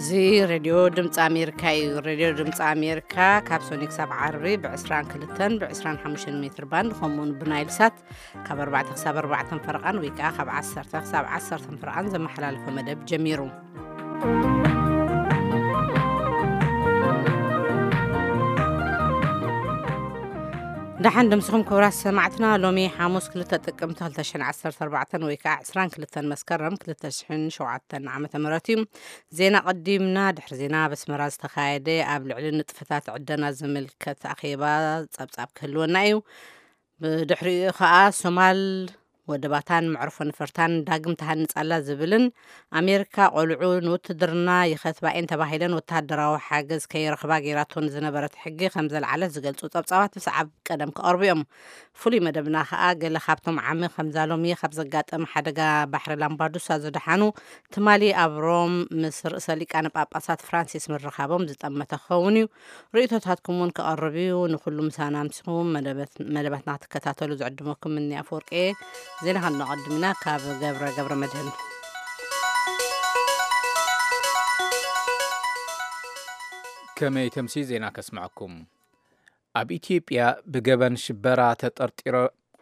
እዚ ሬድዮ ድምፂ ኣሜሪካ እዩ። ሬድዮ ድምፂ ኣሜሪካ ካብ ሶኒ ክሳብ ዓርቢ ብ22ን ብ25 ሜትር ባንድ፣ ከምኡውን ብናይል ሳት ካብ ኣርባዕተ ክሳብ ኣርባዕተ ፈረቓን ወይ ከዓ ካብ ዓሰርተ ክሳብ ዓሰርተ ፈረቓን ዘመሓላልፎ መደብ ጀሚሩ። ደሓን ድምስኹም ክቡራት ሰማዕትና። ሎሚ ሓሙስ ክልተ ጥቅምቲ ክልተ ሽሕን ዓሰርተ ኣርባዕተን ወይ ከዓ ዕስራን ክልተን መስከረም ክልተ ሽሕን ሸውዓተን ዓመተ ምህረት እዩ። ዜና ቀዲምና። ድሕሪ ዜና ኣብ ኣስመራ ዝተኻየደ ኣብ ልዕሊ ንጥፈታት ዕደና ዝምልከት ኣኼባ ጸብጻብ ክህልወና እዩ። ብድሕሪኡ ከዓ ሶማል ወደባታን መዕርፎ ነፈርታን ዳግም ተሃንጻላ ዝብልን ኣሜሪካ ቆልዑ ንውትድርና ይኸትባ እየን ተባሂለን ወተሃደራዊ ሓገዝ ከይረኽባ ገይራቶ ንዝነበረት ሕጊ ከም ዘልዓለት ዝገልጹ ጸብጻባት ብሰዓብ ቀደም ክቐርቡ እዮም። ፍሉይ መደብና ከዓ ገለ ካብቶም ዓሚ ከምዛ ሎሚ ካብ ዘጋጠመ ሓደጋ ባሕሪ ላምባዱሳ ዝደሓኑ ትማሊ ኣብ ሮም ምስ ርእሰ ሊቃነ ጳጳሳት ፍራንሲስ ምርኻቦም ዝጠመተ ክኸውን እዩ። ርእይቶታትኩም እውን ክቐርብ እዩ። ንኩሉ ምሳና ኣምሲኹም መደበት-፣ መደባትና ክትከታተሉ ዝዕድመኩም እኒ ኣፈወርቂ እየ። ዜና ከነቐድም ኢና ካብ ገብረ ገብረ መድህን። ከመይ ተምሲ ዜና ከስምዐኩም። ኣብ ኢትዮጵያ ብገበን ሽበራ ተጠርጢሮ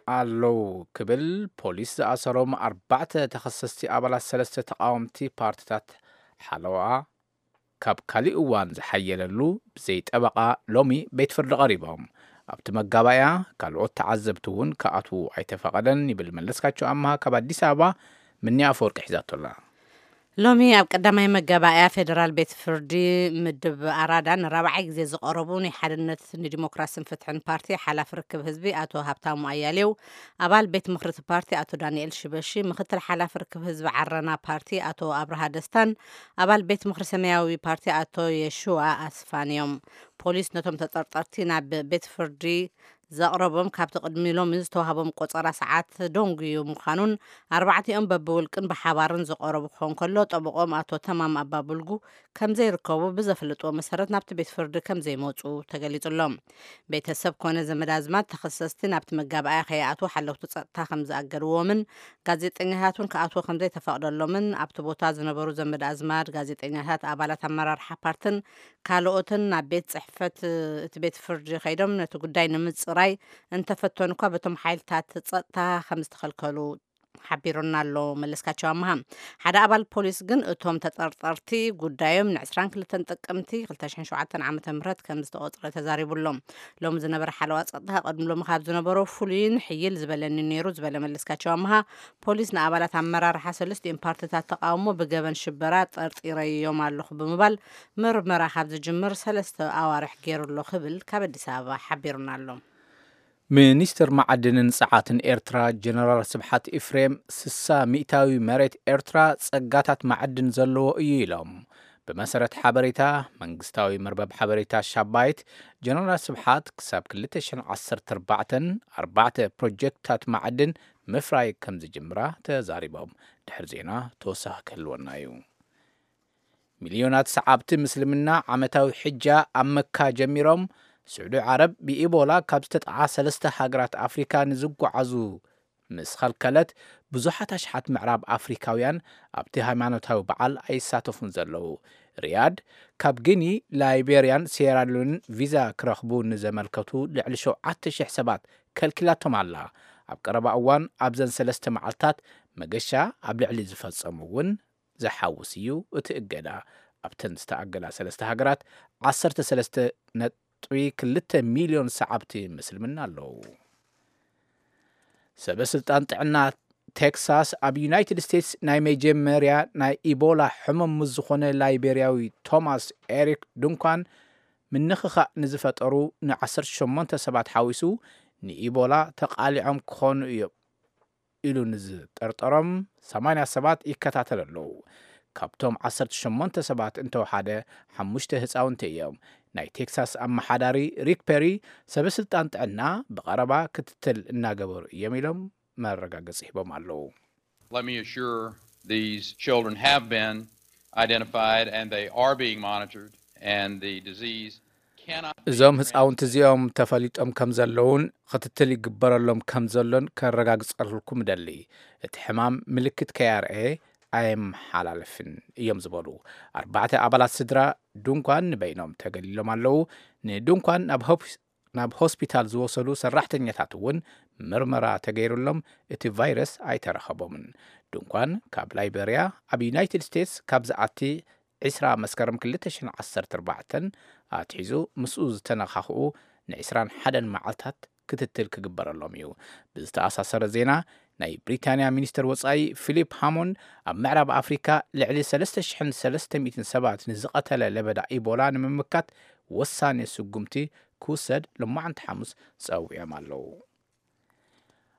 ኣለዉ ክብል ፖሊስ ዝኣሰሮም ኣርባዕተ ተኸሰስቲ ኣባላት ሰለስተ ተቃወምቲ ፓርቲታት ሓለዋ ካብ ካሊእ እዋን ዝሓየለሉ ብዘይ ጠበቓ ሎሚ ቤት ፍርዲ ቀሪቦም። ኣብቲ መጋባእያ ካልኦት ተዓዘብቲ እውን ክኣትዉ ኣይተፈቐደን ይብል መለስካቸው ኣምሃ ካብ ኣዲስ ኣበባ። ምኒ ኣፈወርቂ ሒዛቶላ። ሎሚ ኣብ ቀዳማይ መጋባእያ ፌደራል ቤት ፍርዲ ምድብ ኣራዳ ንራብዓይ ግዜ ዝቐረቡ ናይ ሓድነት ንዲሞክራስን ፍትሕን ፓርቲ ሓላፊ ርክብ ህዝቢ ኣቶ ሃብታሙ ኣያሌው፣ ኣባል ቤት ምኽሪ እቲ ፓርቲ ኣቶ ዳንኤል ሽበሺ፣ ምክትል ሓላፊ ርክብ ህዝቢ ዓረና ፓርቲ ኣቶ ኣብርሃ ደስታን ኣባል ቤት ምኽሪ ሰማያዊ ፓርቲ ኣቶ የሽዋ ኣስፋን እዮም። ፖሊስ ነቶም ተጠርጠርቲ ናብ ቤት ፍርዲ ዘቕረቦም ካብቲ ቅድሚ ሎሚ ዝተዋህቦም ቆጸራ ሰዓት ደንጉዩ ምዃኑን ኣርባዕቲኦም በብውልቅን ብሓባርን ዝቐረቡ ክኾን ከሎ፣ ጠበቆም ኣቶ ተማም ኣባቡልጉ ከም ዘይርከቡ ብዘፍልጥዎ መሰረት ናብቲ ቤት ፍርዲ ከም ዘይመጹ ተገሊጹሎም። ቤተሰብ ኮነ ዘመድ ኣዝማድ ተኸሰስቲ ናብቲ መጋባእያ ከይኣትዉ ሓለውቲ ጸጥታ ከም ዝኣገድዎምን ጋዜጠኛታት እውን ክኣትዉ ከም ዘይተፈቕደሎምን ኣብቲ ቦታ ዝነበሩ ዘመድ ኣዝማድ፣ ጋዜጠኛታት፣ ኣባላት ኣመራርሓ ፓርትን ካልኦትን ናብ ቤት ጽሕፈት እቲ ቤት ፍርዲ ከይዶም ነቲ ጉዳይ ንምጽራይ እንተፈተኑ እኳ በቶም ሓይልታት ጸጥታ ከም ዝተኸልከሉ ሓቢሩና ኣሎ መለስካቸው ኣምሃ። ሓደ ኣባል ፖሊስ ግን እቶም ተጠርጠርቲ ጉዳዮም ን22 ጥቅምቲ ክልተ ሽሕን ሸውዓተን ዓመተ ምህረት ከም ዝተቖጽረ ተዛሪቡ ኣሎ። ሎሚ ዝነበረ ሓለዋ ጸጥታ ቀድሚ ሎሚ ካብ ዝነበሮ ፍሉይን ሕይል ዝበለኒ ነይሩ ዝበለ መለስካቸው ኣምሃ፣ ፖሊስ ንኣባላት ኣመራርሓ ሰለስቲኦም ፓርትታት ተቃውሞ ብገበን ሽበራ ጠርጢረዮም ኣለኹ ብምባል ምርመራ ካብ ዝጅምር ሰለስተ ኣዋርሕ ገይሩ ኣሎ ክብል ካብ ኣዲስ ኣበባ ሓቢሩና ኣሎ። ሚኒስትር መዓድንን ጸዓትን ኤርትራ ጀነራል ስብሓት ኢፍሬም፣ ስሳ ሚእታዊ መሬት ኤርትራ ጸጋታት መዓድን ዘለዎ እዩ ኢሎም። ብመሰረት ሓበሬታ መንግስታዊ መርበብ ሓበሬታ ሻባይት፣ ጀነራል ስብሓት ክሳብ ክልተ ሽሕን ዓሰርተ ኣርባዕተን ኣርባዕተ ፕሮጀክትታት መዓድን ምፍራይ ከም ዝጅምራ ተዛሪቦም። ድሕሪ ዜና ተወሳኺ ክህልወና እዩ። ሚልዮናት ሰዓብቲ ምስልምና ዓመታዊ ሕጃ ኣብ መካ ጀሚሮም። ስዑዲ ዓረብ ብኢቦላ ካብ ዝተጠዓ ሰለስተ ሃገራት ኣፍሪካ ንዝጓዓዙ ምስ ኸልከለት፣ ብዙሓት ኣሽሓት ምዕራብ ኣፍሪካውያን ኣብቲ ሃይማኖታዊ በዓል ኣይሳተፉን ዘለዉ። ሪያድ፣ ካብ ጊኒ፣ ላይቤርያን ሴራሊዮንን ቪዛ ክረኽቡ ንዘመልከቱ ልዕሊ ሸውዓተ ሽሕ ሰባት ከልኪላቶም ኣላ። ኣብ ቀረባ እዋን ኣብዘን ሰለስተ መዓልታት መገሻ ኣብ ልዕሊ ዝፈጸሙ እውን ዝሓውስ እዩ እቲ እገዳ። ኣብተን ዝተኣገዳ ሰለስተ ሃገራት ዓሰርተ ሰለስተ ነጥቢ ክልተ ሚልዮን ሰዓብቲ ምስልምና ኣለዉ። ሰበ ስልጣን ጥዕና ቴክሳስ፣ ኣብ ዩናይትድ ስቴትስ ናይ መጀመርያ ናይ ኢቦላ ሕሙም ምስ ዝኾነ ላይቤርያዊ ቶማስ ኤሪክ ዱንካን ምንኽኻእ ንዝፈጠሩ ን18 ሰባት ሓዊሱ ንኢቦላ ተቓሊዖም ክኾኑ እዮም ኢሉ ንዝጠርጠሮም ሰማንያ ሰባት ይከታተል ኣለዉ። ካብቶም ዓሰርተ ሸሞንተ ሰባት እንተወሓደ ሓሙሽተ ህፃውንቲ እዮም። ናይ ቴክሳስ ኣመሓዳሪ ሪክ ፔሪ፣ ሰበ ስልጣን ጥዕና ብቐረባ ክትትል እናገበሩ እዮም ኢሎም መረጋገፂ ሂቦም ኣለዉ። Let me assure, these children have been identified and they are being monitored, and the disease cannot be እዞም ህፃውንቲ እዚኦም ተፈሊጦም ከም ዘለውን ክትትል ይግበረሎም ከም ዘሎን ከረጋግፀልኩም እደሊ። እቲ ሕማም ምልክት ከያርኤ ኣየመሓላልፍን እዮም ዝበሉ ኣርባዕተ ኣባላት ስድራ ድንኳን ንበይኖም ተገሊሎም ኣለዉ። ንድንኳን ናብ ሆፕ ናብ ሆስፒታል ዝወሰዱ ሰራሕተኛታት እውን ምርመራ ተገይሩሎም እቲ ቫይረስ ኣይተረኸቦምን። ድንኳን ካብ ላይበርያ ኣብ ዩናይትድ ስቴትስ ካብ ዝኣቲ ዕስራ መስከረም ክልተ ሽሕን ዓሰርተ ኣርባዕተን ኣትሒዙ ምስኡ ዝተነኻኽኡ ንዕስራን ሓደን መዓልታት ክትትል ክግበረሎም እዩ። ብዝተኣሳሰረ ዜና ናይ ብሪታንያ ሚኒስትር ወጻኢ ፊሊፕ ሃሞንድ ኣብ ምዕራብ ኣፍሪካ ልዕሊ ሰለስተ ሽሕን ሰለስተ ሚእትን ሰባት ንዝቐተለ ለበዳ ኢቦላ ንምምካት ወሳኒ ስጉምቲ ክውሰድ ሎማዓንቲ ሓሙስ ጸዊዖም ኣለዉ።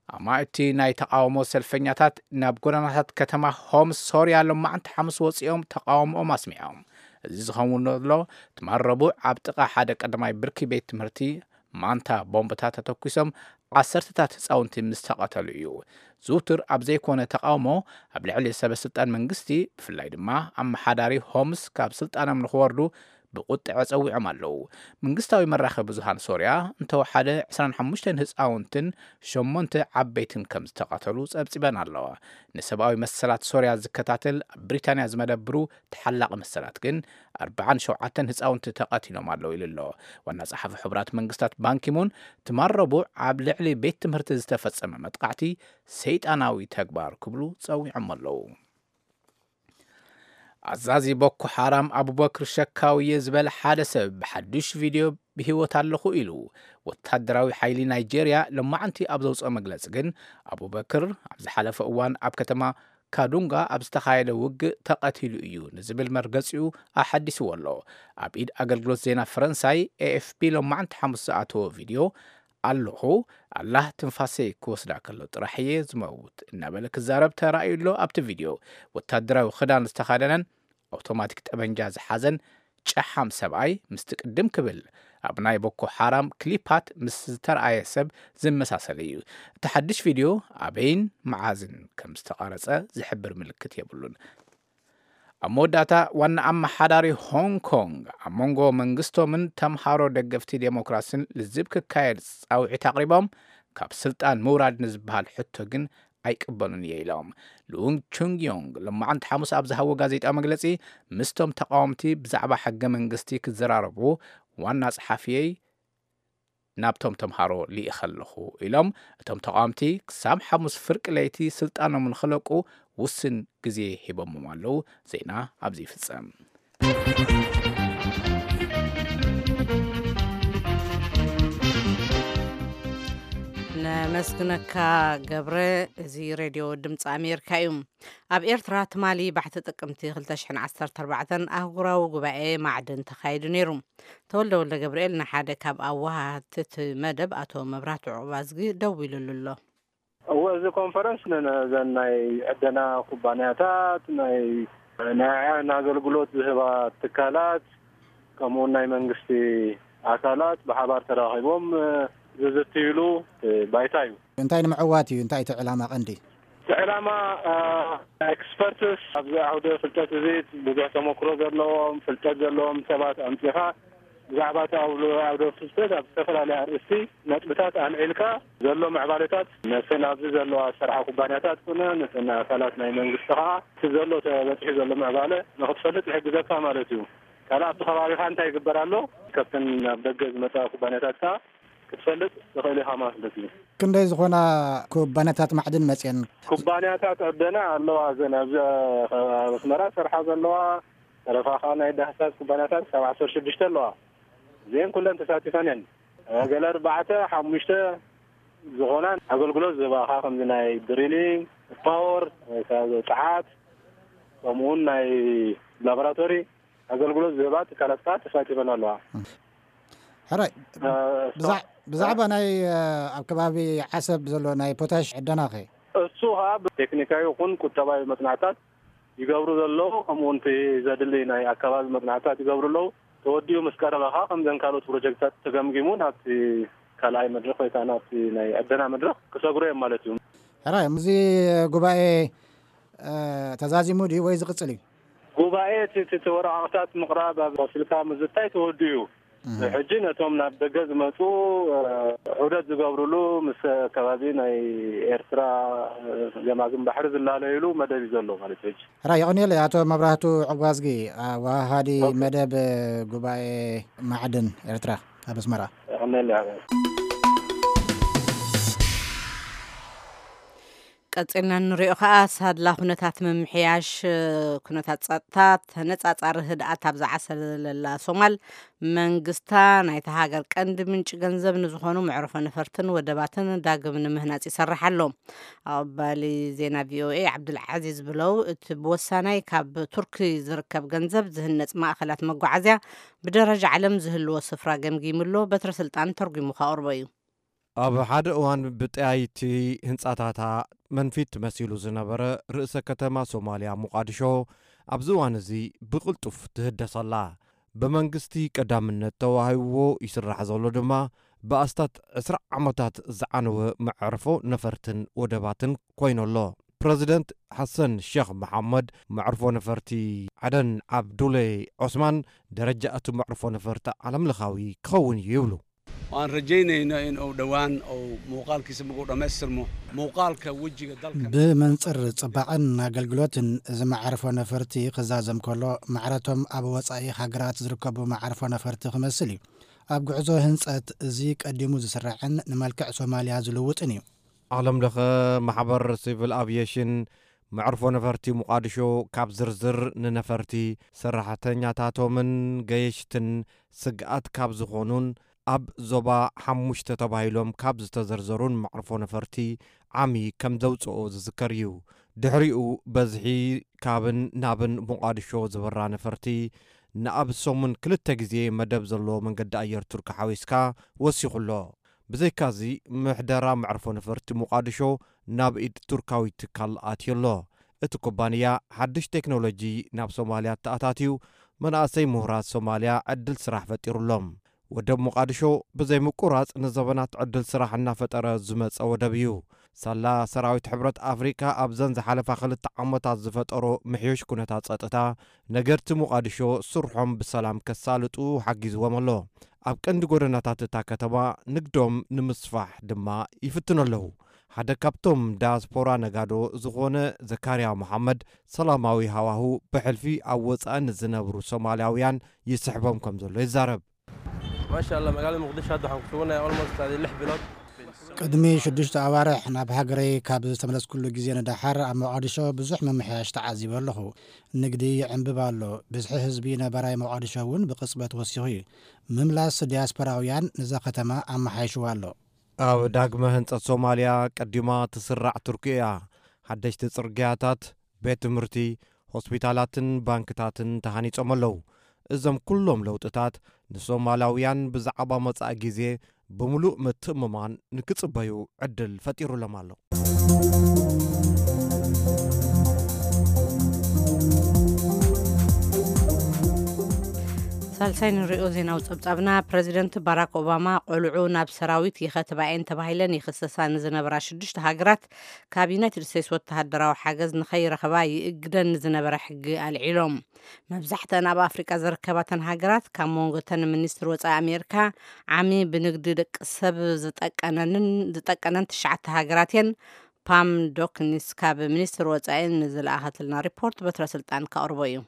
ኣማእቲ ናይ ተቓውሞ ሰልፈኛታት ናብ ጎደናታት ከተማ ሆምስ ሶርያ ሎማዓንቲ ሓሙስ ወፂኦም ተቓውሞኦም ኣስሚዖም። እዚ ዝኸውን ዘሎ ትማል ረቡዕ ኣብ ጥቓ ሓደ ቀዳማይ ብርኪ ቤት ትምህርቲ ማንታ ቦምብታት ተተኩሶም ዓሰርተታት ህፃውንቲ ምስ ተቐተሉ እዩ። ዝውትር ኣብ ዘይኮነ ተቓውሞ ኣብ ልዕሊ ሰበ ስልጣን መንግስቲ ብፍላይ ድማ ኣመሓዳሪ ሆምስ ካብ ስልጣኖም ንክወርዱ ብቁጥዐ ጸዊዖም ኣለዉ። መንግስታዊ መራኸቢ ብዙሃን ሶርያ እንተወሓደ ዕስራን ሓሙሽተን ህፃውንትን ሸሞንተ ዓበይትን ከም ዝተቐተሉ ጸብጺበን ኣለዋ። ንሰብኣዊ መሰላት ሶርያ ዝከታተል ኣብ ብሪታንያ ዝመደብሩ ተሓላቒ መሰላት ግን ኣርባዓን ሸውዓተን ህፃውንቲ ተቐቲሎም ኣለዉ ኢሉ ኣሎ። ዋና ጸሓፊ ሕቡራት መንግስታት ባንኪሙን ትማል ረቡዕ ኣብ ልዕሊ ቤት ትምህርቲ ዝተፈጸመ መጥቃዕቲ ሰይጣናዊ ተግባር ክብሉ ጸዊዖም ኣለዉ። ኣዛዚ ቦኮ ሓራም ኣቡበክር ሸካውየ ዝበለ ሓደ ሰብ ብሓዱሽ ቪድዮ ብህይወት ኣለኹ ኢሉ። ወታደራዊ ሓይሊ ናይጄርያ ሎማዓንቲ ኣብ ዘውፅኦ መግለፂ ግን ኣቡበክር ኣብ ዝሓለፈ እዋን ኣብ ከተማ ካዱንጋ ኣብ ዝተኻየደ ውግእ ተቐቲሉ እዩ ንዝብል መርገፂኡ ኣሓዲስዎ ኣሎ። ኣብ ኢድ ኣገልግሎት ዜና ፈረንሳይ ኤኤፍፒ ሎማዓንቲ ሓሙስ ዝኣተወ ቪድዮ ኣለኹ፣ ኣላህ ትንፋሰይ ክወስዳ ከሎ ጥራሕ እየ ዝመውት እናበለ ክዛረብ ተራእዩ ኣሎ። ኣብቲ ቪድዮ ወታደራዊ ክዳን ዝተኸደነን ኣውቶማቲክ ጠበንጃ ዝሓዘን ጨሓም ሰብኣይ ምስቲ ቅድም ክብል ኣብ ናይ ቦኮ ሓራም ክሊፓት ምስ ዝተረኣየ ሰብ ዝመሳሰል እዩ። እቲ ሓድሽ ቪድዮ ኣበይን መዓዝን ከም ዝተቐረጸ ዝሕብር ምልክት የብሉን። ኣብ መወዳእታ ዋና ኣመሓዳሪ ሆንግ ኮንግ ኣብ መንጎ መንግስቶምን ተምሃሮ ደገፍቲ ዴሞክራስን ልዝብ ክካየድ ጻውዒት ኣቕሪቦም፣ ካብ ስልጣን ምውራድ ንዝበሃል ሕቶ ግን ኣይቅበሉን እየ ኢሎም። ሉንግ ቹንግ ዮንግ ሎማዓንቲ ሓሙስ ኣብ ዝሃቦ ጋዜጣዊ መግለጺ ምስቶም ተቃወምቲ ብዛዕባ ሕገ መንግስቲ ክዘራረቡ ዋና ጸሓፊየይ ናብቶም ተምሃሮ ልኢኸ ኣለኹ ኢሎም። እቶም ተቃወምቲ ክሳብ ሓሙስ ፍርቂ ለይቲ ስልጣኖም ንክለቁ ውስን ግዜ ሂቦሞም ኣለዉ። ዜና ኣብዚ ይፍጸም። ነመስግነካ ገብረ። እዚ ሬድዮ ድምፂ ኣሜሪካ እዩ። ኣብ ኤርትራ ትማሊ ባሕቲ ጥቅምቲ ክልተ ሽሕን ዓሰርተ ኣርባዕተን ኣህጉራዊ ጉባኤ ማዕድን ተኻይዱ ነይሩ። ተወልደ ወልደ ገብርኤል ንሓደ ካብ ኣወሃህቲ እቲ መደብ ኣቶ መብራህቱ ዑቕባዝጊ ደዊሉሉ ኣሎ። እወ፣ እዚ ኮንፈረንስ ንዘን ናይ ዕደና ኩባንያታት፣ ናይ ናይ ኣገልግሎት ዝህባ ትካላት፣ ከምኡውን ናይ መንግስቲ ኣካላት ብሓባር ተራኺቦም ዝዝትይሉ ባይታ እዩ። እንታይ ንምዕዋት እዩ? እንታይ እቲ ዕላማ ቀንዲ? እቲ ዕላማ፣ አ፣ ኤክስፐርትስ ኣብዚ ዓውደ ፍልጠት እዚ ብዙሕ ተመክሮ ዘለዎም፣ ፍልጠት ዘለዎም ሰባት ኣምጺኻ ብዛዕባ እቲ ዓውደ፣ ዓውደ ፍልጠት ኣብ ዝተፈላለያ ኣርእስቲ ነጥብታት ኣልዒልካ ዘሎ ምዕባለታት ነተን ኣብዚ ዘለዋ ዝሰርሓ ኩባንያታት ኮነ ነተን ኣካላት ናይ መንግስቲ ከኣ እቲ ዘሎ ተበጺሑ ዘሎ ምዕባለ ንኽትፈልጥ ይሕግዘካ ማለት እዩ። ካልእ ኣብቲ ከባቢኻ እንታይ ይግበር ኣሎ፣ ካብተን ናብ ደገ ዝመጻ ኩባንያታት ከኣ ክትፈልጥ ትኽእል ኢኻ ማለት እዩ። ክንደይ ዝኾና ኩባንያታት ማዕድን መጽየን? ኩባንያታት ዕደና ኣለዋ። እዘን ኣብዚ ኣብ ኣስመራ ዝሰርሓ ዘለዋ፣ ተረፋ ከኣ ናይ ዳህሳስ ኩባንያታት ክሳብ ዓሰርተ ሽዱሽተ ኣለዋ። እዚአን ኩለን ተሳቲፈን እየን። ገለ ኣርባዕተ፣ ሓሙሽተ ዝኾና ኣገልግሎት ዝህባኻ፣ ከምዚ ናይ ድሪሊንግ፣ ፓወር፣ ወይ ከዓ ጸዓት፣ ከምኡውን ናይ ላቦራቶሪ ኣገልግሎት ዝህባ ትካላት ከዓ ተሳቲፈን ኣለዋ። ሕራይ፣ እ፣ ብዛ-፣ ብዛዕባ ናይ፣ እ፣ ኣብ ከባቢ ዓሰብ ዘሎ ናይ ፖታሽ ዕደናኸ? እሱ ከዓ ብቴክኒካዊ ይኹን ቁጠባዊ መጽናዕታት ይገብሩ ዘለዉ፣ ከምኡ እውን እቲ ዘድሊ ናይ ኣካባቢ መጽናዕታት ይገብሩ ኣለዉ። ተወዲኡ ምስ ቀረበ ከዓ ከምዘን ካልኦት ፕሮጀክትታት ተገምጊሙ ናብቲ ካልኣይ መድረኽ ወይ ከዓ ናብቲ ናይ ዕደና መድረኽ ክሰግሩ እዮም ማለት እዩ። ሕራይ፣ እዚ ጉባኤ፣ እ፣ ተዛዚሙ ድዩ ወይ ዝቕጽል እዩ? ጉባኤ እቲ፣ እቲ፣ እቲ ወረቓቕታት ምቕራብ ኣብ ቆሲልካ ምዝታይ ተወዲኡ እዩ። ሕጂ ነቶም ናብ ደገ ዝመፁ ዑደት ዝገብርሉ ምስ ከባቢ ናይ ኤርትራ ገማግም ባሕሪ ዝላለይሉ መደብ እዩ ዘሎ ማለት እዩ። ሕራ የቕንየለይ ኣቶ መብራህቱ ዕጓዝጊ፣ ኣዋሃዲ መደብ ጉባኤ ማዕድን ኤርትራ ኣብ ኣስመራ። ቀፂልና እንሪኦ ከዓ ሳድላ ኩነታት ምምሕያሽ ኩነታት ፀጥታ ተነፃፃሪ ህድኣት ኣብ ዝዓሰለላ ሶማል መንግስታ ናይታ ሃገር ቀንዲ ምንጪ ገንዘብ ንዝኾኑ መዕርፎ ነፈርትን ወደባትን ዳግም ንምህናፅ ይሰርሕ ኣሎ። ኣቐባሊ ዜና ቪኦኤ ዓብዱልዓዚዝ ብለው እቲ ብወሳናይ ካብ ቱርኪ ዝርከብ ገንዘብ ዝህነፅ ማእኸላት መጓዓዝያ ብደረጃ ዓለም ዝህልዎ ስፍራ ገምጊሙ ኣሎ። በትረ ስልጣን ተርጉሙ ከቕርቦ እዩ። ኣብ ሓደ እዋን ብጠያይቲ ህንጻታታ መንፊት መሲሉ ዝነበረ ርእሰ ከተማ ሶማልያ ሞቓድሾ ኣብዚ እዋን እዚ ብቕልጡፍ ትህደስ ኣላ። ብመንግስቲ ቀዳምነት ተዋሂብዎ ይስራሕ ዘሎ ድማ ብኣስታት ዕስራ ዓመታት ዝዓነወ መዕርፎ ነፈርትን ወደባትን ኮይኑ ኣሎ። ፕረዚደንት ሓሰን ሸኽ መሓመድ መዕርፎ ነፈርቲ ዓደን ዓብዱሌ ዖስማን ደረጃ እቲ መዕርፎ ነፈርቲ ዓለምለኻዊ ክኸውን እዩ ይብሉ። Waan rajaynayno in uu dhowaan uu muuqaalkiisa markuu dhammaystirmo muuqaalka wejiga dalka ብመንፅር ፅባቐን ኣገልግሎትን እዚ መዓርፎ ነፈርቲ ክዛዘም ከሎ ማዕረቶም ኣብ ወፃኢ ሃገራት ዝርከቡ መዓርፎ ነፈርቲ ክመስል እዩ። ኣብ ጉዕዞ ህንፀት እዚ ቀዲሙ ዝስራዕን ንመልክዕ ሶማልያ ዝልውጥን እዩ። ዓለም ለኸ ማሕበር ሲቪል ኣቪየሽን መዕርፎ ነፈርቲ ሞቓድሾ ካብ ዝርዝር ንነፈርቲ ሰራሕተኛታቶምን ገየሽትን ስግኣት ካብ ዝኾኑን ኣብ ዞባ ሓሙሽተ ተባሂሎም ካብ ዝተዘርዘሩን መዕርፎ ነፈርቲ ዓሚ ከም ዘውፅኦ ዝዝከር እዩ። ድሕሪኡ በዝሒ ካብን ናብን ሞቓድሾ ዝበራ ነፈርቲ ንኣብ ሰሙን ክልተ ግዜ መደብ ዘለዎ መንገዲ ኣየር ቱርኪ ሓዊስካ ወሲኹ ኣሎ። ብዘይካዚ ምሕደራ መዕርፎ ነፈርቲ ሞቓድሾ ናብ ኢድ ቱርካዊ ትካል ኣትዩ ኣሎ። እቲ ኩባንያ ሓድሽ ቴክኖሎጂ ናብ ሶማልያ ተኣታትዩ መናእሰይ ምሁራት ሶማልያ ዕድል ስራሕ ፈጢሩሎም። ወደብ ሞቓድሾ ብዘይ ምቁራጽ ንዘበናት ዕድል ስራሕ እናፈጠረ ዝመጸ ወደብ እዩ። ሳላ ሰራዊት ሕብረት ኣፍሪቃ ኣብዘን ዝሓለፋ ክልተ ዓመታት ዝፈጠሮ ምሕዮሽ ኩነታት ጸጥታ ነገርቲ ሞቓድሾ ስርሖም ብሰላም ከሳልጡ ሓጊዝዎም ኣሎ። ኣብ ቀንዲ ጎደናታት እታ ከተማ ንግዶም ንምስፋሕ ድማ ይፍትኑ ኣለዉ። ሓደ ካብቶም ዳያስፖራ ነጋዶ ዝኾነ ዘካርያ መሓመድ ሰላማዊ ሃዋሁ ብሕልፊ ኣብ ወፃኢ ንዝነብሩ ሶማልያውያን ይስሕቦም ከም ዘሎ ይዛረብ። Maasha Allah, magaalada Muqdisho hadda waxaan ku suganahay almost adi lix bilood. ቅድሚ ሽዱሽተ ኣዋርሕ ናብ ሃገረይ ካብ ዝተመለስኩሉ ግዜ ንደሓር ኣብ መቓድሾ ብዙሕ ምምሕያሽ ተዓዚበ ኣለኹ። ንግዲ ይዕንብብ ኣሎ። ብዝሒ ህዝቢ ነባራይ መቓድሾ እውን ብቕጽበት ወሲኹ እዩ። ምምላስ ዲያስፖራውያን ነዛ ከተማ ኣመሓይሽዋ ኣሎ። ኣብ ዳግመ ህንጸት ሶማልያ ቀዲማ ትስራዕ ቱርኪ እያ። ሓደሽቲ ጽርግያታት፣ ቤት ትምህርቲ፣ ሆስፒታላትን ባንክታትን ተሃኒጾም ኣለዉ። እዞም ኩሎም ለውጥታት ንሶማላውያን ብዛዕባ መጻኢ ግዜ ብምሉእ ምትእምማን ንክጽበዩ ዕድል ፈጢሩሎም ኣሎ። ሳልሳይ ንሪኦ ዜናዊ ጸብጻብና፣ ፕረዚደንት ባራክ ኦባማ ቆልዑ ናብ ሰራዊት ይኸትባ እየን ተባሂለን ይኽሰሳ ንዝነበራ ሽዱሽተ ሃገራት ካብ ዩናይትድ ስቴትስ ወተሃደራዊ ሓገዝ ንኸይረኽባ ይእግደን ንዝነበረ ሕጊ ኣልዒሎም። መብዛሕተን ኣብ ኣፍሪቃ ዝርከባተን ሃገራት ካብ መንጎተን ሚኒስትር ወፃኢ ኣሜሪካ ዓሚ ብንግዲ ደቂ ሰብ ዝጠቀነንን ዝጠቀነን ትሽዓተ ሃገራት እየን። ፓም ዶክኒስ ካብ ሚኒስትር ወፃኢ ንዝለኣኸትልና ሪፖርት በትረ ስልጣን ከቕርቦ እዩ።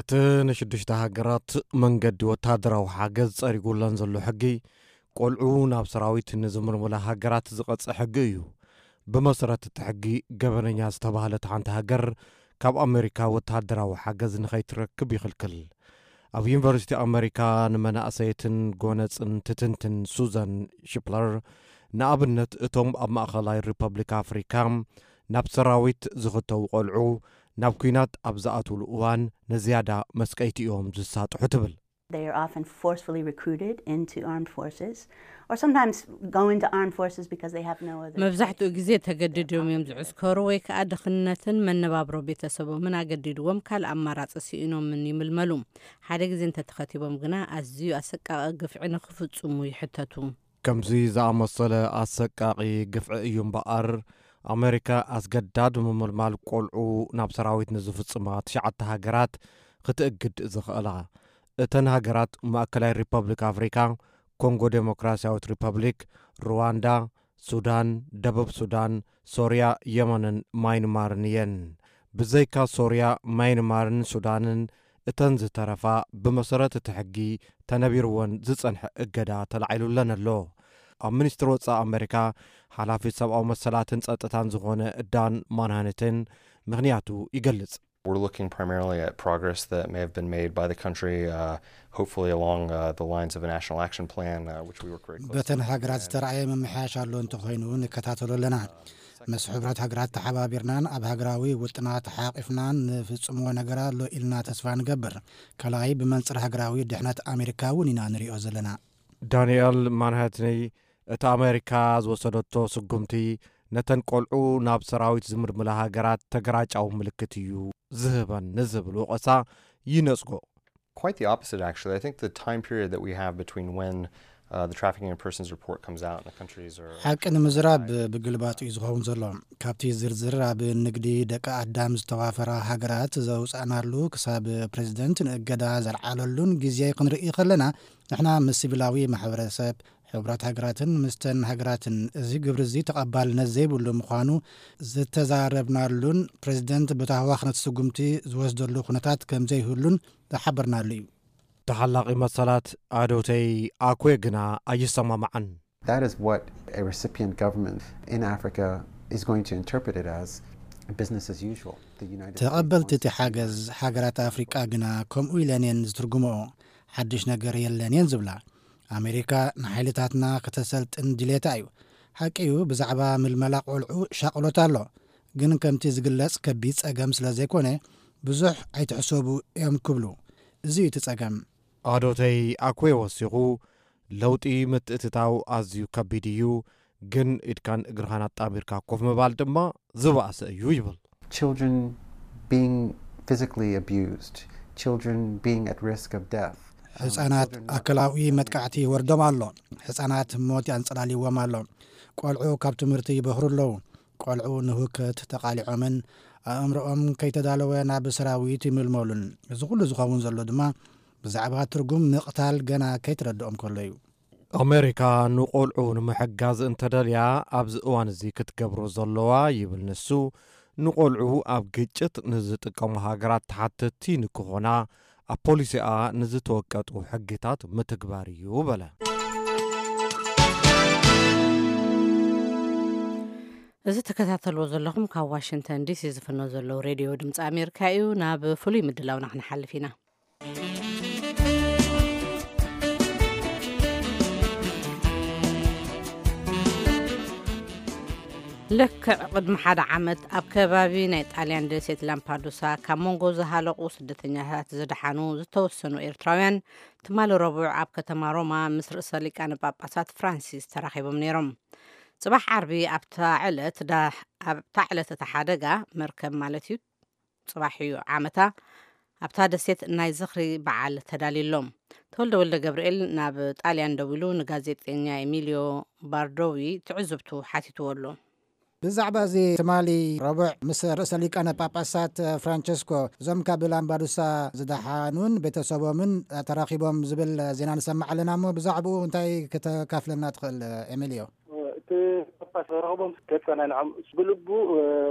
እቲ ንሽዱሽተ ሃገራት መንገዲ ወተሃደራዊ ሓገዝ ጸሪጉለን ዘሎ ሕጊ፣ ቆልዑ ናብ ሰራዊት ንዝምልምላ ሃገራት ዝቐጽእ ሕጊ እዩ። ብመሰረት እቲ ሕጊ፣ ገበነኛ ዝተባህለት ሓንቲ ሃገር ካብ ኣሜሪካ ወተሃደራዊ ሓገዝ ንኸይትረክብ ይኽልክል። ኣብ ዩኒቨርሲቲ ኣሜሪካ ንመናእሰየትን ጎነጽን ትትንትን ሱዛን ሽፕለር፣ ንኣብነት እቶም ኣብ ማእኸላይ ሪፐብሊክ ኣፍሪካ ናብ ሰራዊት ዝኽተቡ ቆልዑ ናብ ኲናት ኣብ ዝኣትውሉ እዋን ንዝያዳ መስቀይቲ እዮም ዝሳጥሑ ትብል። They are often forcefully recruited into armed forces, or sometimes go into armed forces because they have no other choice. መብዛሕትኡ ግዜ ተገዲዶም እዮም ዝዕስከሩ፣ ወይ ከዓ ድኽነትን መነባብሮ ቤተሰቦምን ኣገዲድዎም ካልእ ኣማራፂ ስኢኖምን ይምልመሉ። ሓደ ግዜ እንተተኸቲቦም ግና ኣዝዩ ኣሰቃቒ ግፍዒ ንክፍፅሙ ይሕተቱ። ከምዚ ዝኣመሰለ ኣሰቃቒ ግፍዒ እዩ እምበኣር፣ ኣሜሪካ ኣስገዳድ ምምልማል ቆልዑ ናብ ሰራዊት ንዝፍጽማ ትሽዓተ ሃገራት ክትእግድ ዝኽእላ። እተን ሃገራት ማእከላይ ሪፐብሊክ ኣፍሪካ፣ ኮንጎ ዴሞክራሲያዊት ሪፐብሊክ፣ ሩዋንዳ፣ ሱዳን፣ ደቡብ ሱዳን፣ ሶርያ፣ የመንን ማይንማርን እየን። ብዘይካ ሶርያ፣ ማይንማርን ሱዳንን፣ እተን ዝተረፋ ብመሰረት እቲ ሕጊ ተነቢርወን ዝጸንሐ እገዳ ተላዒሉለን ኣሎ። ኣብ ሚኒስትሪ ወጻኢ ኣመሪካ ሓላፊት ሰብኣዊ መሰላትን ጸጥታን ዝኾነ ዳን ማንሃነትን ምኽንያቱ ይገልጽ። We're looking primarily at progress that may have been made by the country, uh, hopefully along uh, the lines of a national action plan, uh, which we work very closely. በተን ሃገራት ዝተረኣየ ምምሕያሽ ኣሎ እንተኾይኑ ንከታተሎ ኣለና። ምስ ሕቡራት ሃገራት ተሓባቢርናን ኣብ ሃገራዊ ውጥናት ሓቂፍናን ንፍጽሞ ነገር ኣሎ ኢልና ተስፋ ንገብር። ካልኣይ ብመንጽር ሃገራዊ ድሕነት ኣሜሪካ እውን ኢና ንሪኦ ዘለና። ዳንኤል ማንሃትኒ፣ እቲ ኣሜሪካ ዝወሰደቶ ስጉምቲ ነተን ቆልዑ ናብ ሰራዊት ዝምልምላ ሃገራት ተገራጫዊ ምልክት እዩ ዝህበን ንዝብል ወቐሳ ይነጽጎ። Quite the opposite, actually. I think the time period that we have between when uh, the trafficking in persons report comes out and the countries are ሓቂ ንምዝራብ ብግልባጡ እዩ ዝኸውን ዘሎ። ካብቲ ዝርዝር ኣብ ንግዲ ደቂ ኣዳም ዝተዋፈራ ሃገራት ዘውፃእናሉ ክሳብ ፕሬዚደንት ንእገዳ ዘልዓለሉን ግዜ ክንርኢ ከለና ንሕና ምስ ሲቪላዊ ማሕበረሰብ ሕቡራት ሃገራትን ምስተን ሃገራትን እዚ ግብሪ እዚ ተቐባልነት ዘይብሉ ምዃኑ ዝተዛረብናሉን ፕሬዚደንት ብታህዋኽነት ስጉምቲ ዝወስደሉ ኩነታት ከም ዘይህሉን ዝሓበርናሉ እዩ። ተሓላቒ መሰላት ኣዶተይ ኣኩዌ ግና ኣይሰማማዓን። That is what a recipient government in Africa is going to interpret it as, business as usual. The United States ተቐበልቲ እቲ ሓገዝ ሃገራት ኣፍሪቃ ግና ከምኡ ኢለን እየን ዝትርጉምኦ። ሓድሽ ነገር የለን እየን ዝብላ። ኣሜሪካ ንሓይልታትና ከተሰልጥን ድሌታ እዩ። ሓቂ እዩ፣ ብዛዕባ ምልመላ ቆልዑ ሻቕሎት ኣሎ። ግን ከምቲ ዝግለጽ ከቢድ ጸገም ስለ ዘይኮነ ብዙሕ ኣይትሕሰቡ እዮም ክብሉ። እዚ እዩ እቲ ጸገም። ኣዶተይ ኣኩዌ ወሲኹ፣ ለውጢ ምትእትታው ኣዝዩ ከቢድ እዩ፣ ግን ኢድካን እግርኻን ኣጣሚርካ ኮፍ ምባል ድማ ዝበኣሰ እዩ ይብል። Children being physically abused, children being at risk of death. ሕፃናት ኣካላዊ መጥቃዕቲ ይወርዶም ኣሎ። ሕፃናት ሞት ያንጸላልዎም ኣሎ። ቆልዑ ካብ ትምህርቲ ይበኽሩ ኣለዉ። ቆልዑ ንህውከት ተቓሊዖምን ኣእምሮኦም ከይተዳለወ ናብ ሰራዊት ይምልመሉን። እዚ ኩሉ ዝኸውን ዘሎ ድማ ብዛዕባ ትርጉም ምቕታል ገና ከይተረድኦም ከሎ እዩ። ኣሜሪካ ንቆልዑ ንምሕጋዝ እንተደልያ ኣብዚ እዋን እዚ ክትገብሮ ዘለዋ ይብል ንሱ፣ ንቆልዑ ኣብ ግጭት ንዝጥቀሙ ሃገራት ተሓተትቲ ንክኾና ኣብ ፖሊሲኣ ንዝተወቀጡ ሕግታት ምትግባር እዩ በለ። እዚ ተከታተልዎ ዘለኹም ካብ ዋሽንግተን ዲሲ ዝፍኖ ዘለዉ ሬድዮ ድምፂ ኣሜሪካ እዩ። ናብ ፍሉይ ምድላውና ክንሓልፍ ኢና። ልክዕ ቅድሚ ሓደ ዓመት ኣብ ከባቢ ናይ ጣልያን ደሴት ላምፓዱሳ ካብ መንጎ ዝሃለቑ ስደተኛታት ዝደሓኑ ዝተወሰኑ ኤርትራውያን ትማሊ ረቡዕ ኣብ ከተማ ሮማ ምስ ርእሰ ሊቃነ ጳጳሳት ፍራንሲስ ተራኺቦም ነይሮም። ጽባሕ ዓርቢ ኣብታ ዕለት ዳ-፣ ኣብታ ዕለት እቲ ሓደጋ መርከብ ማለት እዩ ጽባሕ እዩ ዓመታ ኣብታ ደሴት ናይ ዝኽሪ በዓል ተዳልዩሎም። ተወልደ ወልደ ገብርኤል ናብ ጣልያን ደዊሉ ንጋዜጠኛ ኤሚልዮ ባርዶዊ ትዕዝብቱ ሓቲትዎ ኣሎ። ብዛዕባ እዚ ትማሊ ረቡዕ ምስ ርእሰ ሊቃነ ጳጳሳት ፍራንቸስኮ እዞም ካብ ላምባዱሳ ዝደሓኑን ቤተሰቦምን ተራኺቦም ዝብል ዜና ንሰማዕ ኣለና እሞ ብዛዕባኡ እንታይ ከተካፍለና ትኽእል ኤሚልዮ? እቲ ጳጳስ ረኽቦም ከጸናንዖም ብልቡ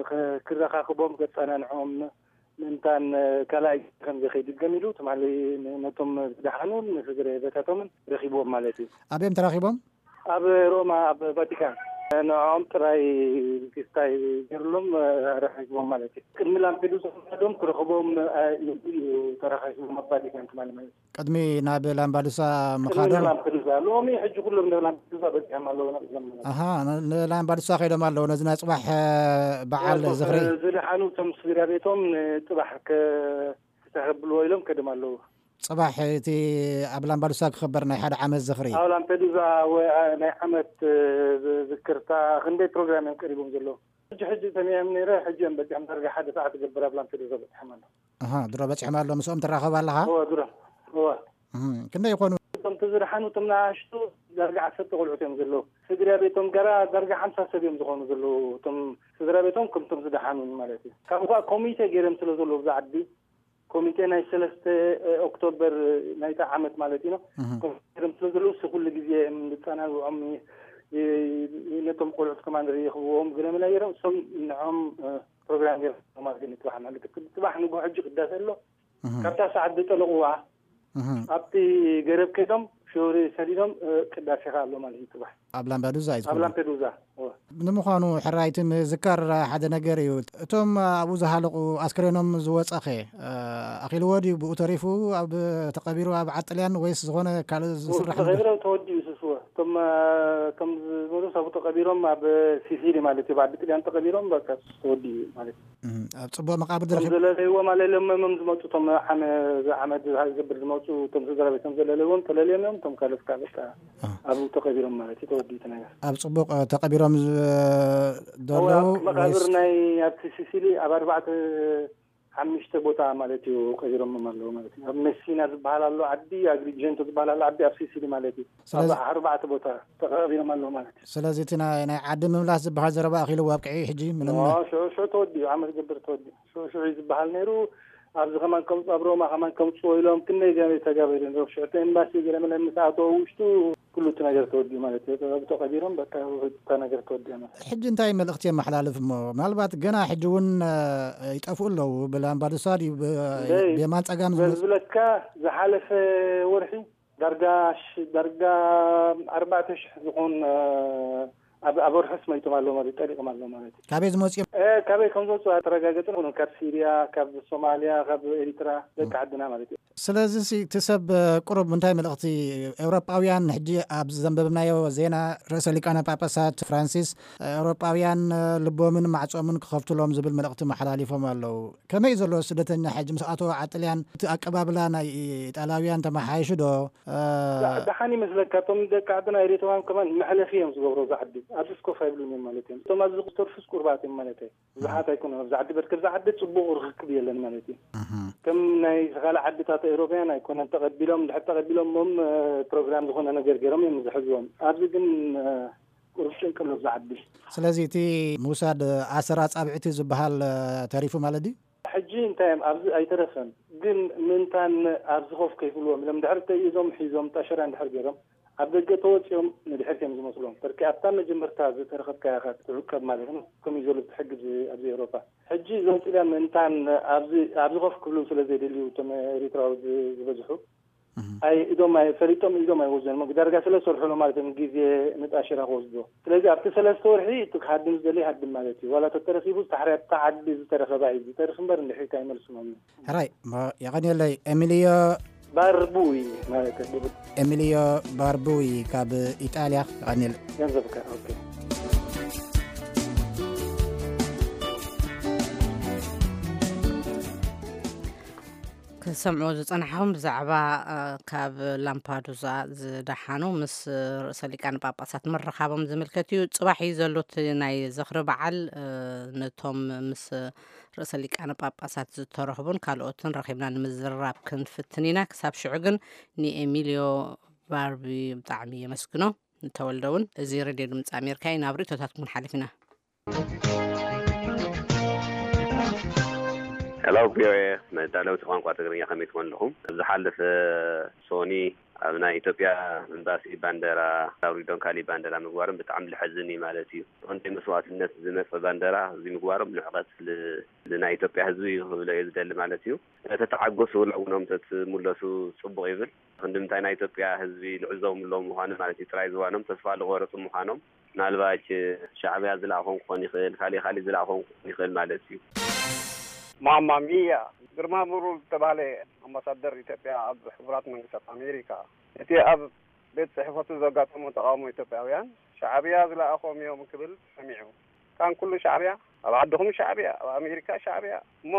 ክ-፣ ክረኻኽቦም ከጸናንዖም ምእንታን ካልኣይ ከም ዘይከይድገም ኢሉ ትማሊ ነቶም ዝደሓኑ ንስድረ ቤታቶምን ረኺብዎም ማለት እዩ። ኣበዮም ተራኺቦም? ኣብ ሮማ ኣብ ቫቲካን ንዕኦም ጥራይ ክስታይ ገይሩሎም ረኺብዎም ማለት እዩ። ቅድሚ ላምፔዱሳ ምኻዶም ክረኽቦም ኢሉ እዩ ተረኻኺቦም ኣብ ቫቲካን ትማሊ ማለት እዩ። ቅድሚ ናብ ላምባዱሳ ቅድሚ ምኻዶም? ላምፔዱሳ ሎሚ ሕጂ ኩሎም ናብ ላምፔዱሳ በፂሖም ኣለዉ። ኣሃ፣ ን-፣ ንላምባዱሳ ከይዶም ኣለዉ። ነዚ ናይ ፅባሕ በዓል ዝኽሪ ዝደሓኑ እቶም ስድራ ቤቶም ንፅባሕ ከ-፣ ክተኸብልዎ ኢሎም ከድም ኣለዉ። ጽባሕ እቲ ኣብ ላምባዱሳ ክኽበር ናይ ሓደ ዓመት ዝኽሪ። ኣብ ላምፔዱዛ ወ-፣ ናይ ዓመት፣ እ፣ ዝ-፣ ዝክርታ ክንደይ ፕሮግራም እዮም ቀሪቦም ዘለዉ? ሕጂ፣ ሕጂ ሰሚዐም ነይረ፣ ሕጂ እዮም በጺሖም። ዳርጋ ሓደ ሰዓት ይገብር ኣብ ላምፔዱዛ በጺሖም ኣለዉ። ኣሃ፣ ድሮ በጺሖም ኣለዉ፣ ምስኦም ትራኸብ ኣለኻ? እወ፣ ድሮ፣ እወ። እህ፣ ክንደይ ይኾኑ? እቶም ተዝደሓኑ፣ እቶም ንኣሽቱ ዳርጋ ዓሰርተ ቆልዑት እዮም ዘለዉ። ስድራ ቤቶም ገራ ዳርጋ ሓምሳ ሰብ እዮም ዝኾኑ ዘለዉ። እቶም ስድራ ቤቶም ከምቶም ዝደሓኑ ማለት እዩ። ካብ እንኳ ኮሚቴ ገይሮም ስለ ዘለዉ ብዛ ዓዲ፣ ኮሚቴ ናይ ሰለስተ ኦክቶበር ናይታ ዓመት ማለት እዩ። ኮሚቴ ስለ ዘለዉ ኩሉ ግዜ ዝፀናንዕኦም ነቶም ቆልዑት ከማን ይኽብዎም ግለመላ ገይሮም እሶም ንዖም ፕሮግራም ገይሮም ማለት እዩ። ፅባሕ ማለት እዩ። ፅባሕ ንግሆ ሕጂ ቅዳሴ ኣሎ። ካብታ ሰዓት ዝጠለቑዋ ኣብቲ ገረብ ከይዶም ሽወሪ ሰዲዶም ቅዳሴ ከ ኣሎ ማለት እዩ። ፅባሕ ኣብ ላምባዱዛ እዩ ኣብ ዝኸውን። ላምፔዱዛ። ንምዃኑ ሕራይቲ ምዝካር ሓደ ነገር እዩ። እቶም ኣብኡ ዝሃለቑ ኣስክሬኖም ዝወፀኸ ኣኺልዎ ድዩ? ብኡ ተሪፉ ኣብ ተቐቢሩ ኣብ ዓጥልያን ወይስ ዝኾነ ካልእ ዝስራሕ ነገር? ተቐቢሮም ተወዲኡ ስስወ እቶም እቶም ዝመሉስ ኣብኡ ተቐቢሮም ኣብ ሲሲሊ ማለት እዩ። ብዓዲ ጥልያን ተቐቢሮም በቃ ተወዲኡ ማለት እዩ። ኣብ ጽቡቕ መቓብር እቶም ዝረኸብ ዘለለይዎ ማለት ለመሞም ዝመፁ እቶም ዓመ ዓመት ዝገብር ዝመፁ እቶም ስድራ ቤቶም ዘለለይዎም ተለልዮም እዮም። እቶም ካልኦት ከዓ በቃ ኣብኡ ተቐቢሮም ማለት እዩ። ተወዲኡ እቲ ነገር ኣብ ጽቡቕ ተቐቢሮም ዘለዉ መቃብር ናይ ኣብቲ ሲሲሊ ኣብ ኣርባዕተ ሓሙሽተ ቦታ ማለት እዩ ቀቢሮሞም ኣለዉ ማለት እዩ። ኣብ መሲና ዝበሃል ኣሎ ዓዲ ኣግሪጀንቶ ዝበሃል ኣሎ ዓዲ ኣብ ሲሲሊ ማለት እዩ። ኣብ ኣርባዕተ ቦታ ተቐቢሮም ኣለዉ ማለት እዩ። ስለዚ እቲ ናይ ዓዲ ምምላስ ዝበሃል ዘረባ ኣኺሉ ኣብቅዒ ሕጂ ምንም ሽዑ ሽዑ ተወዲኡ ዓመት ገብር ተወዲኡ ሽዑ ሽዑ ዝበሃል ነይሩ። ኣብዚ ከማን ከምፁ ኣብ ሮማ ከማን ከምፅዎ ኢሎም ክንደይ ገ ተጋበሩ ነሩ ሽዑ ኤምባሲ ገለመለ ምስ ኣተወ ውሽጡ ኩሉ እቲ ነገር ተወዲኡ ማለት እዩ። ተቐቢሮም በቃ እታ ነገር ተወዲኣ ማለት ሕጂ እንታይ መልእኽቲ የመሓላልፍ እሞ ምናልባት ገና ሕጂ እውን ይጠፍኡ ኣለዉ ብላምባዱሳ ድዩ ብየማን ፀጋም ዝብለካ ዝሓለፈ ወርሒ ዳርጋ ዳርጋ ኣርባዕተ ሽሕ ዝኾን ኣብ ወርሕስ መይቶም ኣለዉ ማለት ጠሊቕም ኣለዉ ማለት እዩ። ካበይ ዝመፅኦም? ካበይ ከም ዝወፁ ኣተረጋገፅን ካብ ሲርያ ካብ ሶማልያ ካብ ኤሪትራ ደቂ ዓድና ማለት እዩ። ስለዚ እቲ ሰብ ቁሩብ እንታይ መልእኽቲ ኤውሮጳውያን ሕጂ ኣብ ዘንበብናዮ ዜና ርእሰ ሊቃነ ጳጳሳት ፍራንሲስ ኤውሮጳውያን ልቦምን ማዕጾምን ክኸፍቱሎም ዝብል መልእኽቲ መሓላሊፎም ኣለዉ። ከመይ ዘሎ ስደተኛ ሕጂ ምስ ኣተወ ዓጥልያን እቲ ኣቀባብላ ናይ ኢጣልያውያን ተመሓይሹ ዶ? ደሓን ይመስለካ እቶም ደቂ ዓድና ኤርትራውያን ከማን መሕለፊ እዮም ዝገብሩ ዛ ዓዲ ኣብዚ ስኮፍ ኣይብሉን እዮም ማለት እዮም። እቶም ኣብዚ ዝተርፉስ ቁርባት እዮም ማለት እዩ። ብዙሓት ኣይኮነ ኣብዚ ዓዲ በርከ ዛ ዓዲ ፅቡቕ ርክክብ የለን ማለት እዩ። ከም ናይ ካልእ ዓድታት ኤውሮፓያን ኣይኮነን ተቐቢሎም ድሕር ተቐቢሎም ሞም ፕሮግራም ዝኾነ ነገር ገይሮም እዮም ዝሕዝዎም። ኣብዚ ግን ቁሩብ ጭንቂ ኣሎ ኣብዚ ዓዲ። ስለዚ እቲ ምውሳድ ኣሰር ኣጻብዕቲ ዝበሃል ተሪፉ ማለት ድዩ? ሕጂ እንታይ እዮም ኣብዚ ኣይተረፈን ግን ምንታን ኣብዚ ኮፍ ከይብልዎም ኢሎም ድሕር ተይዞም ሒዞም ጣሸራ እንድሕር ገይሮም ኣብ ደገ ተወፂኦም ንድሕር እዮም ዝመስሎም። በርኪ ኣብታ መጀመርታ ዝተረኸብካያ ኢኻ ትዕቀብ ማለት ነው። ከምኡ እዩ ዘሎ እቲ ሕጊ ኣብዚ ኣብዚ ኤውሮፓ። ሕጂ እዞም ጥልያን ምእንታን ኣብዚ ኣብዚ ኮፍ ክብሉ ስለ ዘይደልዩ እቶም ኤሪትራዊ ዝ- ዝበዝሑ ኣይ ኢዶም ኣይ ፈሊጦም ኢዶም ኣይወዘን ዳርጋ ስለ ዝሰርሑሉ ማለት እዮም ግዜ ንጣሽራ ክወስድዎ። ስለዚ ኣብቲ ሰለስተ ወርሒ እቲ ክሃድም ዝደሊ ይሃድም ማለት እዩ። ዋላ ተተረኺቡ ዝተሓርያ ኣብታ ዓዲ ዝተረኸባ እዩ ዝተርፍ እምበር እንድሕሪት ኣይመልስሎም። ሕራይ እሞ የቐንየለይ ኤሚልዮ ባርቡይ ማለት እዩ። ኤሚልዮ ባርቡይ ካብ ኢጣልያ የቐንየለይ። ገንዘብካ ኦኬ። ክሰምዑ ዝጸናሕኹም ብዛዕባ ካብ ላምፓዱዛ ዝደሓኑ ምስ ርእሰ ሊቃነ ጳጳሳት ምርኻቦም ዝምልከት እዩ። ጽባሕ እዩ ዘሎ እቲ ናይ ዝኽሪ በዓል። ነቶም ምስ ርእሰ ሊቃነ ጳጳሳት ዝተረኽቡን ካልኦትን ረኺብና ንምዝርራብ ክንፍትን ኢና። ክሳብ ሽዑ ግን ንኤሚልዮ ባርቢ ብጣዕሚ የመስግኖ። ንተወልደ እውን እዚ ሬድዮ ድምፂ ኣሜሪካ እዩ። ናብ ርእቶታትኩም ሓሊፍ ኢና። ሄሎ ቪኦኤ መዳለውቲ ቋንቋ ትግርኛ ከመይ ትኾን ኣለኹም? ዝሓለፈ ሶኒ ኣብ ናይ ኢትዮጵያ ኤምባሲ ባንደራ ኣውሪዶም ካሊእ ባንደራ ምግባሮም ብጣዕሚ ልሐዝን እዩ ማለት እዩ። ብቐንደይ መስዋእትነት ዝመፀ ባንደራ እዚ ምግባሮም ንዕቐት ል- ንናይ ኢትዮጵያ ህዝቢ እዩ ክብሎ እየ ዝደሊ ማለት እዩ። ተተዓገሱ ሎምኖም ተትምለሱ ፅቡቕ ይብል። ክንዲ ምንታይ ናይ ኢትዮጵያ ህዝቢ ልዕዞም ኣለዉ ምዃኑ ማለት እዩ። ጥራይ ዝዋኖም ተስፋ ልቆረፁ ምዃኖም ምናልባች ሻዕብያ ዝለኣኾም ክኾን ይኽእል፣ ካሊእ ካሊእ ዝለኣኾም ክኾን ይኽእል ማለት እዩ። ማማ ሚያ ግርማ ብሩ ዝተባህለ ኣምባሳደር ኢትዮጵያ ኣብ ሕቡራት መንግስታት ኣሜሪካ እቲ ኣብ ቤት ጽሕፈቱ ዘጋጠሞ ተቓውሞ ኢትዮጵያውያን ሻዕብያ ዝለኣኾም እዮም ክብል ሰሚዑ። ካን ኩሉ ሻዕብያ ኣብ ዓድኹም ሻዕብያ ኣብ ኣሜሪካ ሻዕብያ እሞ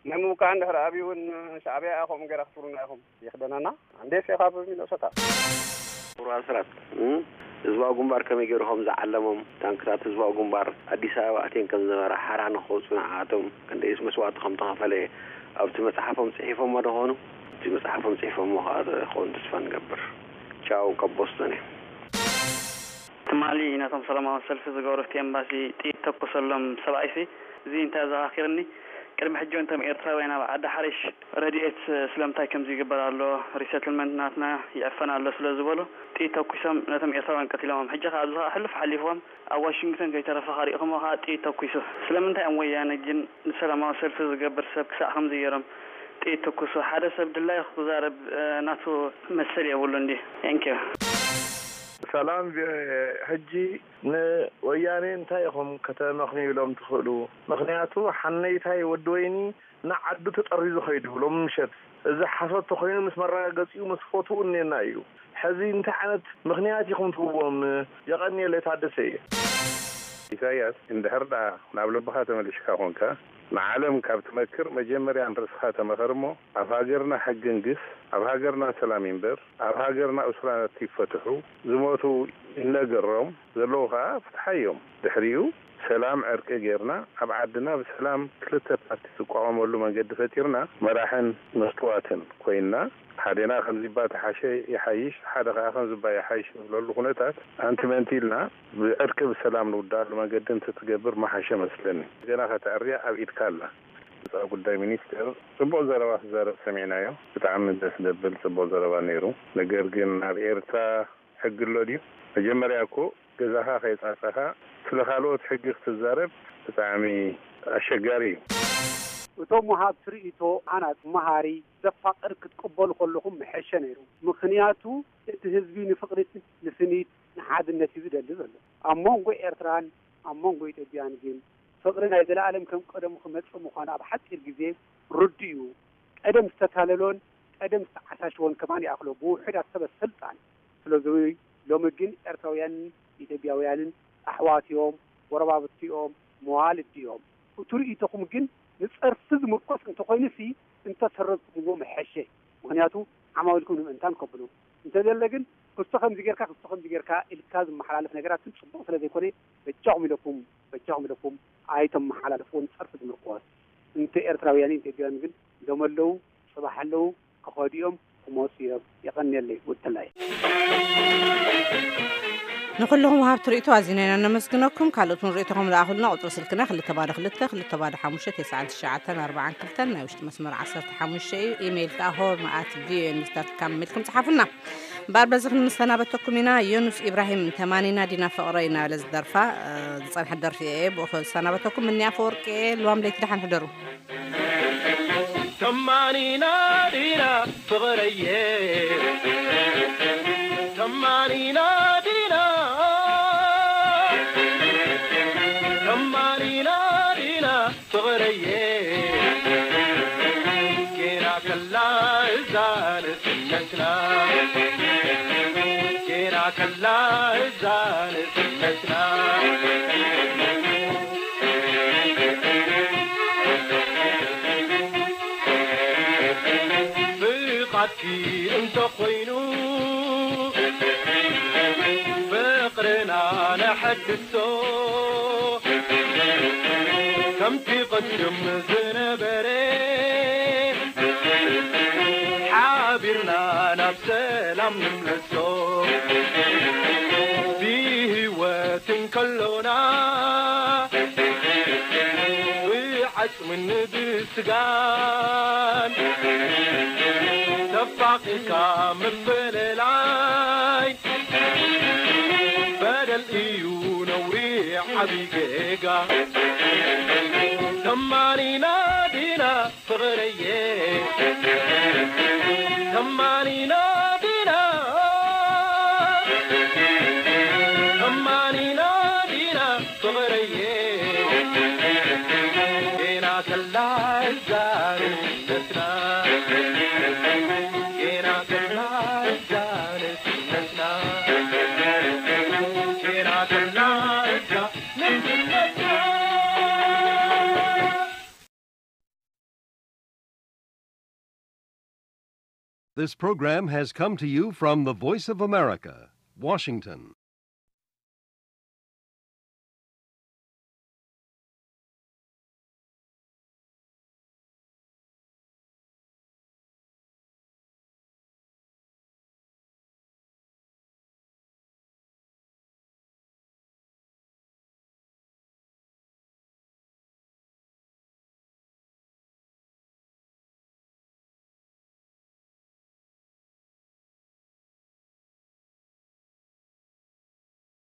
ናይ ምውቃዕ እንድሕር ኣብዩ እውን ሻዕብያ ኢኹም ገይራ ክትብሉና ኢኹም። የኽደነና ኣንዴስ ኢኻ ብሚነሶታ። ክቡር ኣስራት ህዝባዊ ግንባር ከመይ ገይሩ ከም ዝዓለሞም ታንክታት ህዝባዊ ግንባር ኣዲስ ኣበባ ኣትየን ከም ዝነበራ ሓራ ንክወፁ ንዓኣቶም ክንደይስ መስዋእቲ ከም ተኸፈለ ኣብቲ መፅሓፎም ፅሒፎሞ ዶ ኾኑ? እቲ መፅሓፎም ፅሒፎሞ ከዓ ክኾኑ ተስፋ ንገብር። ቻው ካብ ቦስቶን እየ። ትማሊ ነቶም ሰላማዊ ሰልፊ ዝገበሩ እቲ ኤምባሲ ጥይት ተኩሰሎም ሰብኣይሲ እዚ እንታይ ዘኻኺርኒ ቅድሚ ሕጂ እውን እቶም ኤርትራውያን ኣብ ዓዲ ሓሪሽ ረድኤት ስለምንታይ ከምዚ ይግበር ኣሎ፣ ሪሰትልመንት ናትና ይዕፈን ኣሎ ስለ ዝበሉ ጥይት ተኩሶም ነቶም ኤርትራውያን ቀቲሎሞም። ሕጂ ከኣ ኣብዚ ከኣ ሕሉፍ ሓሊፍዎም ኣብ ዋሽንግተን ከይተረፈ ከሪእኹሞ ከኣ ጥይት ተኩሱ። ስለምንታይ እዮም ወያነ ግን ንሰላማዊ ሰልፊ ዝገብር ሰብ ክሳዕ ከምዚ ገይሮም ጥይት ተኩሱ? ሓደ ሰብ ድላዩ ክዛረብ፣ እ፣ ናቱ መሰል የብሉን ድዩ? Thank you። ሰላም ቪ-፣ ሕጂ ንወያኔ እንታይ ኢኹም ከተመኽንዩሎም ትኽእሉ? ምኽንያቱ ሓነይታይ ወዲ ወይኒ ንዓዱ ተጠሪዙ ኸይዱ ሎሚ ምሸት። እዚ ሓሶት ተኾይኑ ምስ መረጋገጺኡ ምስ ፎቶኡ እኔና እዩ። ሕዚ እንታይ ዓይነት ምኽንያት ኢኹም ትህብዎም? የቐንየለይ ታደሰ እየ። ኢሳያስ፣ እንድሕር ደኣ ናብ ልብኻ ተመሊስካ ኾንካ፣ ንዓለም ካብ ትመክር መጀመርያ ንርእስኻ ተመኸር እሞ፣ ኣብ ሃገርና ሕጊ ንግስ፣ ኣብ ሃገርና ሰላም ይንበር፣ ኣብ ሃገርና እሱራት ይፈትሑ፣ ዝሞቱ ይነገሮም፣ ዘለዉ ኸኣ ፍትሓዮም። ድሕሪኡ ሰላም ዕርቂ ጌርና፣ ኣብ ዓድና ብሰላም ክልተ ፓርቲ ዝቋወመሉ መንገዲ ፈጢርና፣ መራሕን መስትዋትን ኮይንና፣ ሓደና ከምዚባ ተሓሸ ይሓይሽ፣ ሓደ ኸኣ ከምዚባ ይሓይሽ ንብለሉ ኩነታት ኣንቲመንቲ ኢልና ብዕርቂ ብሰላም ንውድኣሉ መንገዲ እንተትገብር ምሓሸ መስለኒ። ገና ከተዕርያ ኣብ ኢድካ ኣላ። ወጻኢ ጉዳይ ሚኒስቴር ጽቡቕ ዘረባ ክዛረብ ሰሚዕናዮ። ብጣዕሚ ደስ ዘብል ጽቡቕ ዘረባ ነይሩ። ነገር ግን ኣብ ኤርትራ ሕጊ ኣሎ ድዩ? መጀመርያ እኮ ገዛኻ ከይጻጸኻ ስለ ካልኦት ሕጊ ክትዛረብ ብጣዕሚ ኣሸጋሪ እዩ። እቶም ወሃብቲ ርእይቶ ሃናጺ፣ መሃሪ፣ ዘፋቕር ክትቅበሉ ከለኹም ምሐሸ ነይሩ። ምኽንያቱ እቲ ህዝቢ ንፍቕሪት፣ ንስኒት፣ ንሓድነት እዩ ዝደሊ ዘሎ። ኣብ መንጎ ኤርትራን ኣብ መንጎ ኢትዮጵያን ግን ፍቕሪ ናይ ዘለኣለም ከም ቀደሙ ክመጽእ ምዃኑ ኣብ ሓጺር ግዜ ርዱእ እዩ። ቀደም ዝተታለሎን ቀደም ዝተዓሻሸወን ከማን ይኣኽሎ ብውሑዳት ሰበ ስልጣን። ስለዚ ሎሚ ግን ኤርትራውያንን ኢትዮጵያውያንን ኣሕዋት እዮም፣ ጎረባብቲ እዮም፣ መዋልዲ እዮም። እቲ ርእይቶኹም ግን ንጸርፊ ዝምርኮስ እንተኾይኑሲ እንተሰረዝኩምዎ ምሐሸ። ምኽንያቱ ዓማዊልኩም ንምእንታን ከብሉ። እንተዘለ ግን ክስቶ ከምዚ ጌርካ፣ ክስቶ ከምዚ ጌርካ ኢልካ ዝመሓላለፍ ነገራት ግን ጽቡቕ ስለ ዘይኮነ በጃኹም ኢለኩም፣ በጃኹም ኢለኩም ኣይተመሓላልፍዎ ንጸርፊ ዝምርኮስ። እንተ ኤርትራውያንን ኢትዮጵያውያንን ግን ሎም ኣለዉ፣ ጽባሕ ኣለዉ፣ ክኸዱ እዮም፣ ክመጹ እዮም። የቐንየለይ ውድላይ። ንኹልኹም ወሃብቲ ርእይቶ ኣዚና ኢና ነመስግነኩም። ካልኦት እውን ርእይቶኹም ለኣኹልና። ቁጽሪ ስልክና ክልተ ባዶ ክልተ፣ ክልተ ባዶ ሓሙሽተ፣ ተስዓን ትሽዓተን ኣርባዓን ክልተን፣ ናይ ውሽጢ መስመር ዓሰርተ ሓሙሽተ እዩ። ኢሜይል ከኣ ሆርን ኣት ቪኦኤ ኒውስ ዳት ካም ኢልኩም ጽሓፉና። እምበኣር በዚ ክንሰናበተኩም ኢና። ዮኑስ ኢብራሂም፣ ተማኒና ዲና ፍቕረይ እናበለ ዝደርፋ፣ እ፣ ዝጸንሐት ደርፊ እየ። ብኡ ክሰናበተኩም። እኒ ኣፈወርቂ እየ። ልዋም ለይቲ ደሓን ሕደሩ። ተማኒና ዲና ፍቕረየ፣ ተማኒና ዲና፣ ተማኒና ዲና ፍቕረየ፣ ጌና ከላ እዛ ንስነትና፣ ጌና ከላ እዛ ንስነትና። ፍቓድኪ እንተኾይኑ ፍቕርና ነሐድሶ፣ ከምቲ ቅድም ዝነበረ ሓቢርና ናብ ሰላም ንምለሶ። ብህይወት እንከሎና ብዓጽምን ብስጋን ተፋቒርካ ምፍልላይ በደል እዩ ነውሪ ዓቢ ጌጋ። ተማኒና ዲና ፍቕረየ፣ ተማኒና ዲና፣ ተማኒና ዲና ፍቕረየ፣ ጌና ከላ እዛ ንስነትና፣ ጌና ከላ እዛ ንስነትና፣ ጌና ከላ እዛ ንስነትና። This program has come to you from the Voice of America, Washington.